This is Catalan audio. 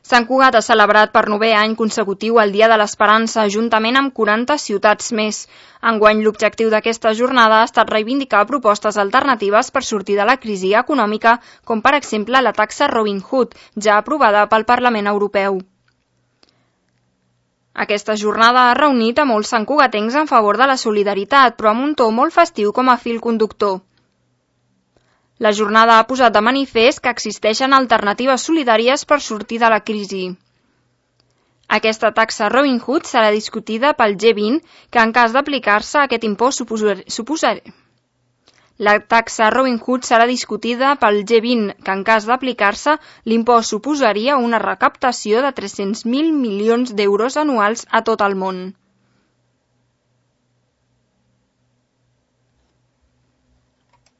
Sant Cugat ha celebrat per 9è any consecutiu el Dia de l'Esperança, juntament amb 40 ciutats més. Enguany, l'objectiu d'aquesta jornada ha estat reivindicar propostes alternatives per sortir de la crisi econòmica, com per exemple la taxa Robin Hood, ja aprovada pel Parlament Europeu. Aquesta jornada ha reunit a molts santcugatencs en favor de la solidaritat, però amb un to molt festiu com a fil conductor. La jornada ha posat de manifest que existeixen alternatives solidàries per sortir de la crisi. Aquesta taxa Robin Hood serà discutida pel G20, que en cas d'aplicar-se aquest impost La taxa Robin Hood serà discutida pel G20, que en cas d'aplicar-se, l'impost suposaria una recaptació de 300.000 milions d'euros anuals a tot el món.